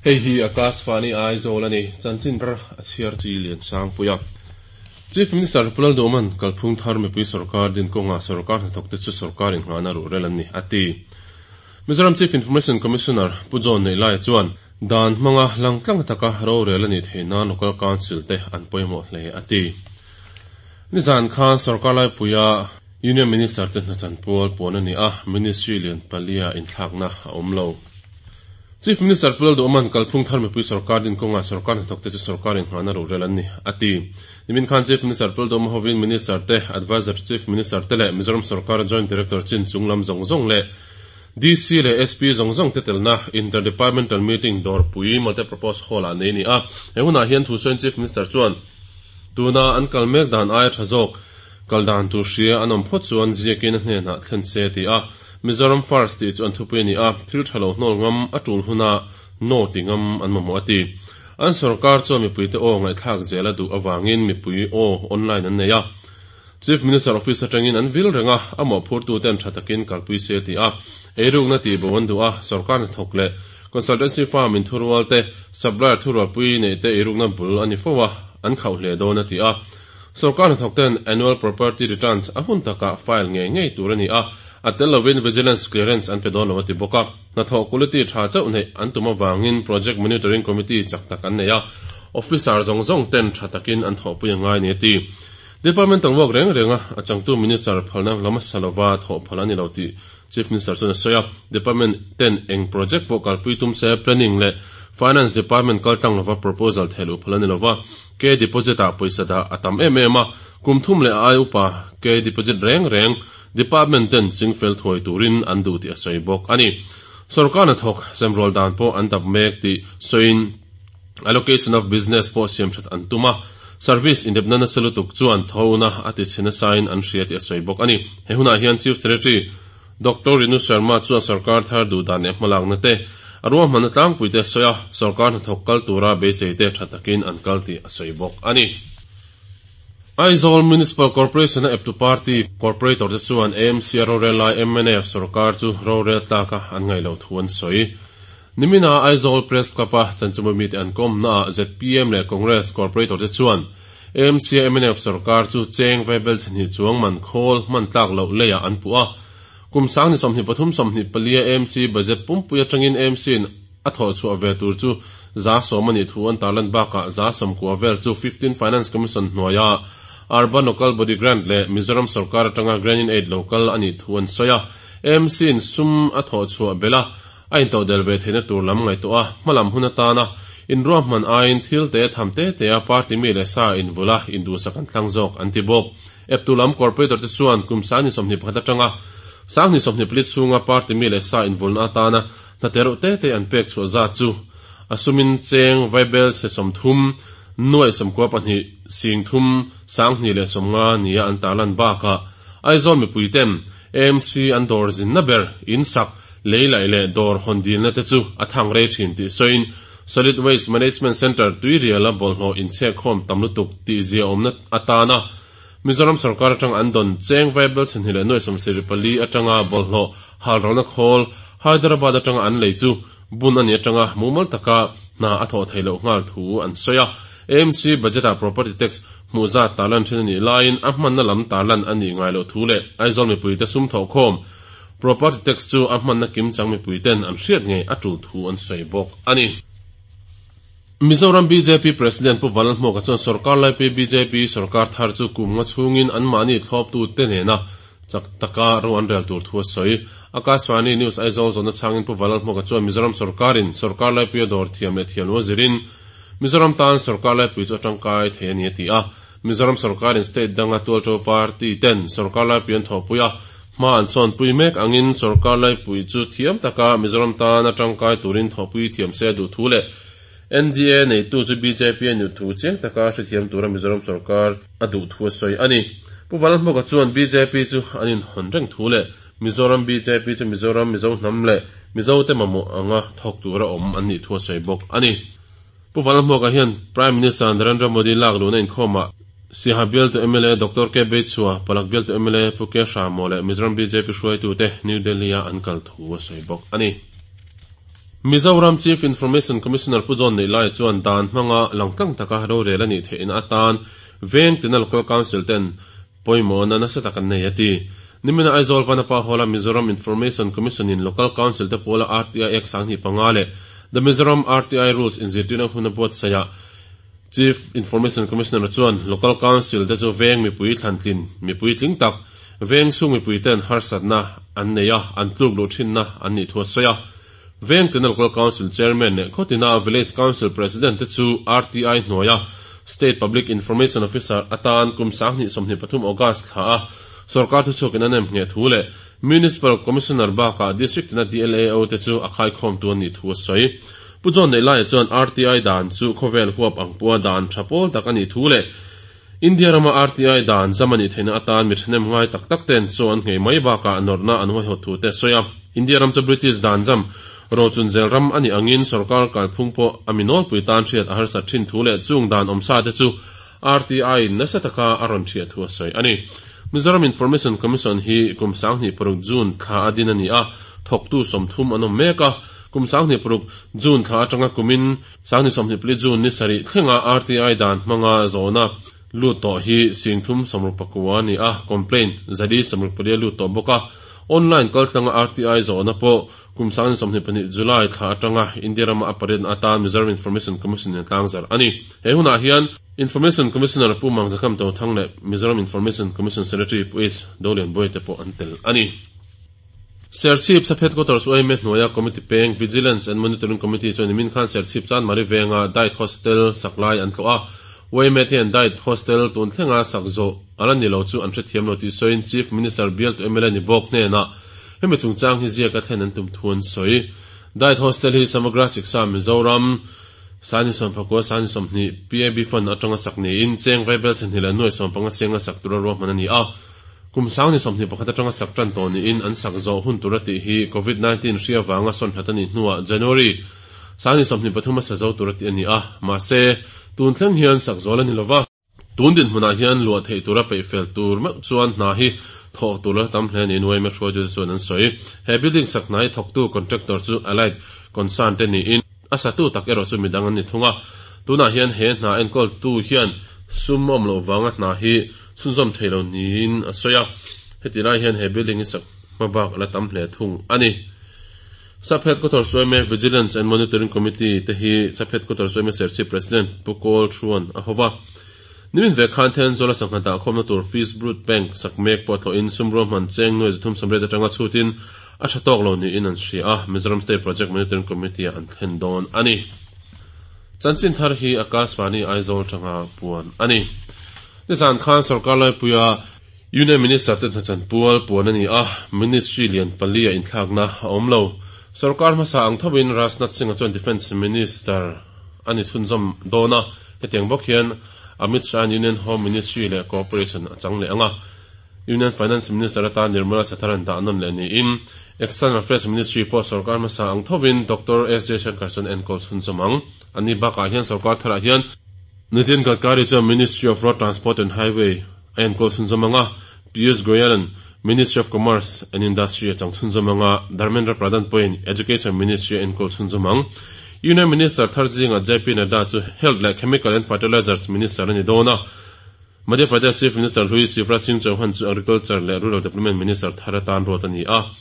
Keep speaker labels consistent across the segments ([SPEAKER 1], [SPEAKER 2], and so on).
[SPEAKER 1] Hei hi Akashvani Aizawl a ni, chanchin thar a chhiar chi lian sangpui a. Chief Minister Pu Lalduhman kalphung thar mipui sorkar din kawngah sorkar hnathawkte chu sorkar inngahna ruhrel an ni, a ti. Mizoram Chief Information Commissioner Pu John Neihlaia chuan dan hmanga langtlang taka rorel a nih theih nan Local Council te an pawimawh hle, a ti. Nizan khan sorkar laipuia Union Minister te hnachan pual puan a ni a, Ministry lian palia inthlakna a awm lo. Chief Minister Pu Lalduhman kalphung thar mipui sorkar din kawngah sorkar hnathawkte chu sorkar inngahna ruhrel an ni, a ti. Nimin khan Chief Minister Pu Lalduhma hovin Minister te, Adviser to Chief Minister te leh Mizoram sorkara Joint Director chin chung lam zawng zawng leh DC leh SP zawng zawng te telna Inter-Departmental Meeting dawrpui Multipurpose Hall-ah nei a ni a. He hunah hian thusawiin Chief Minister chuan tuna an kal mek dan aia tha zawk kal dan tur hria an awm phawt chuan ziakin a hnenah thlen se a ti a. Mizoram First tih chu an thupui a ni a, thil tha lo hnawl ngam a tul huna no ti ngam an mamawh a ti. An sorkar chuan mipuite aw ngaihthlak zel a duh avangin mipui aw online an nei a. Chief Minister Office atangin an vil reng a, a mawhphurtuten tha takin kalpui se a ti a. Eirukna tihbo an duh a, sorkar hnathawk leh consultancy firm inthurual te, supplier thurualpui neih te eirukna bul a ni fo a, an khauh hle dawn a ti a. Sorkar hnathawkten Annual Property Returns a hun takah file ngei ngei tur a ni a, a tel lovin Vigilance Clearance an pe dawn lo a ti bawk a. Hnathawh quality tha chauh neih an tum avangin Project Monitoring Committee chak tak an nei a, officer zawng zawng ten tha takin an thawhpui a ngai ni a ti. Departmental work reng renga a changtu Minister phalna la hmasa lova thawh phal a ni lo tih Chief Minister chuan a sawi a, Department ten eng project pawh kalpui tum se Planning leh Finance Department kaltlang lova proposal theh luh phal a ni lova, Ke deposit ah pawisa dah a tam em em a, kum thum leh a ai upa ke deposit reng reng Department ten chingfel thuai turin an duh tih a sawi bawk a ni. Sorkar hnathawk semrual dan pawh an dap mek tih sawiin allocation of business pawh siam that an tum a, service indepna nasa lutuk chuan thona a ti chhe nasain an hria tih a sawi bawk a ni. He hunah hian Chief Secretary Doctor Rinu Sharma chuan sorkar thar duh dan leh hmalakna te, a ruahmanna tlangpui te a sawi a, sorkar hnathawk kal tura beisei te tha takin an kal tih a sawi bawk a ni. Aizawl Municipal Corporation-a eptu party corporator te chuan AMC-a rorel lai mnf sorkar chu rorel tlaka an ngaih loh thu an sawi. Nimina Aizawl Press Club-a chanchimawmi mite an kawmnaah zpm leh Congress corporator te chuan AMC-a mnf sorkar chu cheng vaibel chhnih chuang man khawl hman tlak loh leiah an puh a. Kum sangni 23 24-a AMC budget pumpui atangin AMC-in A thawh chhuah ve tur chu 10% a nih thu an tarlan bakah 90% vel chu 15 Finance Commission hnuaia Urban Local Body Grant leh Mizoram sorkar atanga Grant-in-Aid lo kal a nih thu an sawi a. AMC-in sum a thawh chhuah belh a, a intodel ve theihna tur lam ngaihtuah a, hmalam hun atana inruahman aiin thil te tham te tea party mi leh sa invulh a, induhsak an thlang zawk an ti bawk. Eptu lam corporator te chuan kum 2021 atanga 2024 chhunga party mi leh sa invulhna atana Hna reuh te te an pek chhuah zat chu a sumin cheng vaibel chhe 30, nuaih 92, sing thum, 20 leh 50 nia an tarlan bakah Aizawl mipui ten AMC an dawr zinna ber in sak, lei laih leh dawr hawn dilna te chu a thang rei thin tih sawiin Solid Waste Management Centre tuiriala bawlhhlawh inchhekkhawm tam lutuk tih ziaawmna atana Mizoram sorkar atang an dawn cheng vaibel chhe hnih leh nuaih 74 atanga bawlhhlawh halralna khawl Hyderabad atanga an lei chu bun a nih atanga mumal taka hna a thawh theih loh nghal thu an sawi a. AMC budget-ah property tax hmuh zat tarlan thin a nih laiin a hmanna lam tarlan a nih ngai loh thu leh Aizawl mipuite sum thawhkhawm property tax chu a hmanna kimchang mipuiten an hriat ngei a tul thu an sawi bawk a ni. Mizoram bjp President Pu Vanlalhmuaka chuan sorkar laipui bjp sorkar thar chu kum nga chhungin anmahni thlawptute nena chak taka ro an rel tur thu a sawi. Akashvani News Aizawl zawhna chhangin Pu Vanlalhmuaka chuan Mizoram sorkarin sorkar laipuia dawr thiam leh thiam lo a zirin Mizoram tan sorkar laipui chu a tangkai thei a ni a ti a. Mizoram sorkarin state danga tualto party ten sorkar laipui an thawhpui a, hma an sawnpui mek angin sorkar laipui chu thiam taka Mizoram tana tangkai turin thawhpui thiam se a duh thu leh NDA neitu chu bjp a nih thu chiang taka hrethiam tura Mizoram sorkar a duh thu a sawi a ni. Pu Vanlalhmuka chuan bjp chu an inhawn reng thu leh Mizoram bjp chu Mizoram Mizo hnam leh Mizote mamawh anga thawk tura awm an nih thu a sawi bawk a ni. Pu Vanlalhmuaka hian Prime Minister Narendra Modi lak luhna inkhawmah Siaha bialtu mla Doctor K Beichhua, Palak bialtu mla Pu K Hramo leh Mizoram bjp hruaitute New Delhi-a an kal thu a sawi bawk a ni. Mizoram Chief Information Commissioner Pu John Neihlaia chuan dan hmanga langtlang taka rorel a nih theihna atan veng tina Local Council ten pawimawhna nasa tak an nei a ti. Nimina Aizawl Vanapa Hall-a Mizoram Information Commission-in Local Council te pawla RTI Act 2005 leh The Mizoram RTI Rules inzirtirna hun a buatsaihah Chief Information Commissioner chuan Local Council te chu veng mipui thlantlin mipui tling tak veng chhung mipui ten harsatna an nei a, an tluk luh thinna an nih thu a sawi a. Veng tina Local Council Chairman leh khawtina Village Council President te chu RTI hnuaia State Public Information Officer atan kum 2023 August thla a sorkar thuchhuakin a nem ngheh thu leh Municipal Commissioner bakah District tina DLAO te chu a khaikhawmtu an nih thu a sawi. Pu John Neihlaia chuan RTI dan chu khawvel huap ang pua dan tha pawl tak a nih thu leh India rama RTI dan zam a nih theihna atan mi thahnem ngai tak tak ten chaw an nghei mai bakah nawrhna an huaihawt thu te a sawi a. India ram chu British dan zam rochunzel ram a nih angin sorkar kalphung pawh a mi nawlpui tan hriat a harsat thin thu leh chung dan awmsa te chu RTI in nasa taka a rawn thiah thu a sawi a ni. Mizoram Information Commission hi kum 2006 June thla a din a ni a, thawktu 30 an awm mek a. Kum 2006 June thla atanga kumin 2024 June ni sarih thlenga RTI dan hmanga zawhna lut tawh hi 369 a ni a, complaint 164 lut tawh bawk a. Online kaltlanga RTI zawhna pawh kum 2022 July thla atanga India rama a pariatna atan Mizoram Information Commission in a tlangzarh a ni. He hunah hian Information Commissioner Pu Mangzakham Tothang leh Mizoram Information Commission Secretary Pu H. Dolianbuai te pawh an tel a ni. Serchhip Sub Headquarters UIMA hnuaia Committee peng Vigilance and Monitoring Committee chuan nimin khan Serchhip Chanmari venga Diet Hostel sak lai an tlawh a. UIMA te hian Diet Hostel tun thlenga sak zawh a la ni lo chu an hrethiam lo tih sawiin Chief Minister bialtu mla ni bawk hnenah hemi chungchang hi ziaka thlen an tum thu an sawi. Diet Hostel hi Samagra Shiksha Mizoram 2019 2020 PAB Fund atanga sak niin cheng vaibel chhehnih leh nuai 15 chenga sak tura ruahman a ni a. Kum 2021 atanga sak tan tawh niin an sak zawh hun tura tih hi Covid 19 hri avanga sawn hlat a nih hnuah January 2023 a sa zo tura tih a ni a, mahse, tun thleng hian sak zawl a ni lova. Tun dinhmunah hian luah theih tura peih fel tur meuh chuan hna hi thawh tur la tam hle niin yma hruaitute chuan an sawi. He building sak hna hi thawktu contractor chu Allied Concern te niin a satu tak erawh chu midang an ni thung a. Tunah hian he hna enkawltu hian sum awm loh vanga hna hi chhunzawm thei lo niin a sawi a. Heti lai hian he building hi sak hma bak a la tam hle thung a ni. Sub Headquarters yma Vigilance and Monitoring Committee te hi Sub Headquarters yma Serchhip President Pu Kawl Thuan a hova. Nimin ve khan Thenzawl a sangha dahkhawmna tur Fish Brood Bank sak mek pawh tlawhin sum ruahman cheng nuai 380 atanga chhutin a tha tawk lo niin an hria a, Mizoram State Project Monitoring Committee ah an thlen dawn a ni. Chanchin thar hi Akashvani Aizawl tanga puan a ni. Nizan khan sorkar laipuia Union Minister te hnachan pual puan a ni a, Ministry lian pali a inthlakna a awm lo. Sorkar hmasa ang thovin Rajnath Singh-a chuan Defence Minister a ni chhunzawm dawn a, hetiang bawk hian Amit Shah-a'n Union Home Ministry leh Cooperation a chang leh ang a. Union Finance Minister atan Nirmala Sitharan dah nawn leh niin External Affairs Ministry pawh sorkar hmasa ang thovin Doctor S Jaishankar chuan enkawl chhunzawm ang. Ani bakah hian sorkar tharah hian Nitin Gadkari chuan Ministry of Road Transport and Highway a enkawl chhunzawm ang a, Piyush Goyal-a'n Ministry of Commerce and Industry a chang chhunzawm ang a, Dharmendra Pradhan pawhin Education Ministry a enkawl chhunzawm ang. Union Minister thar zingah JP Nadda chu Health leh Chemical and Fertilizers Minister a ni dawn a, Madhya Pradesh Chief Minister hlui Shivraj Singh Chauhan chu Agriculture leh Rural Development Minister thar atan ruat a ni a.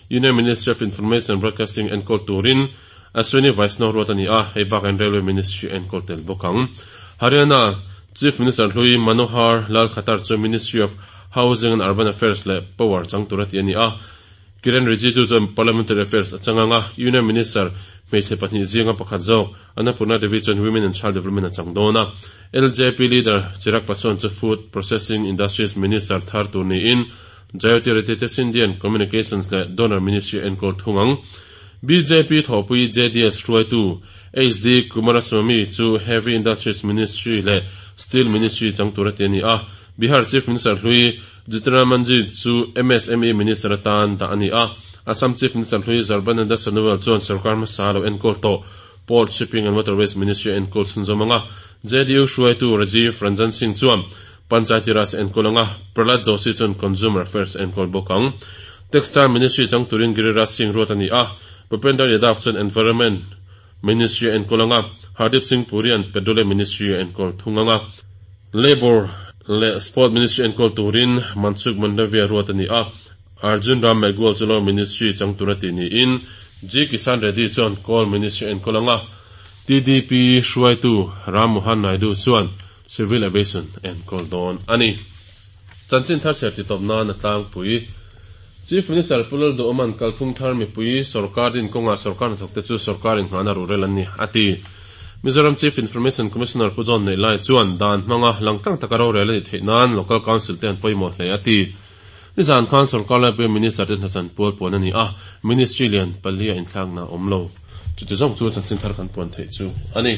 [SPEAKER 1] Union Ministry of Information and Broadcasting enkawl turin Ashwini Vaishnaw ruat a ni a, hei bakah Railway Ministry a enkawl tel bawk ang. Haryana Chief Minister hlui Manohar Lal Khattar chu Ministry of Housing and Urban Affairs leh Power chang tur a ti a ni a. Kiren Rijiju chuan Parliamentary Affairs a chang ang a, Union Minister hmeichhe pahnih zinga pakhat zawk Annapurna Devi chuan Women and Child Development a chang dawn a. LJP leader Chirag Paswan chu Food Processing Industries Minister thar tur niin Jyotiraditya Scindian Communications leh Donor Ministry a enkawl thung ang. Bjp thawhpui JDS hruaitu HD Kumaraswamy chu Heavy Industries Ministry leh Steel Ministry chang tur a ti a ni a. Bihar Chief Minister hlui Jitendra Manjhi chu MSME Minister atan dah a ni a. Assam Chief Minister hlui Sarbananda Sonowal chuan sorkar hmasa lo enkawl tawh Port, Shipping and Waterways Ministry a enkawl chhunzawm ang a. JDU hruaitu Rajiv Ranjan Singh chuan Panchayati Raj a enkawl ang a, Prahlad Joshi chuan Consumer Affairs a enkawl bawk ang. Textile Ministry chang turin Giriraj Singh ruat a ni a. Bhupender Yadav chuan Environment Ministry a enkawl ang a, Hardeep Singh Puri-a'n Petroleum Ministry a enkawl thung ang a. Labour leh Sport Ministry enkawl turin Mansukh Mandaviya ruat a ni a, Arjun Ram Meghwal chu Law Ministry chang tur a tih niin G Kisan Reddy chuan Coal Ministry a enkawl ang a, TDP hruaitu Ram Mohan Naidu chuan Civil Aviation a enkawl dawn a ni. Chanchin thar chhiar titawp nan a tlangpui. Chief Minister Pu Lalduhawma'n kalphung thar mipui sorkar din kawngah sorkar hnathawkte chu sorkar inngahna ruhrel an ni, a ti. Mizoram Chief Information Commissioner Pu John Neihlai chuan dan hmanga langtlang taka rorel a nih theih nan Local Council te an pawimawh hle, a ti. Nizan khan sorkar laipui Minister te hnachan pual puan a ni a, Ministry lian palia inthlakna a awm lo. Chuti zawng chu chanchin thar kan puan theih chu a ni.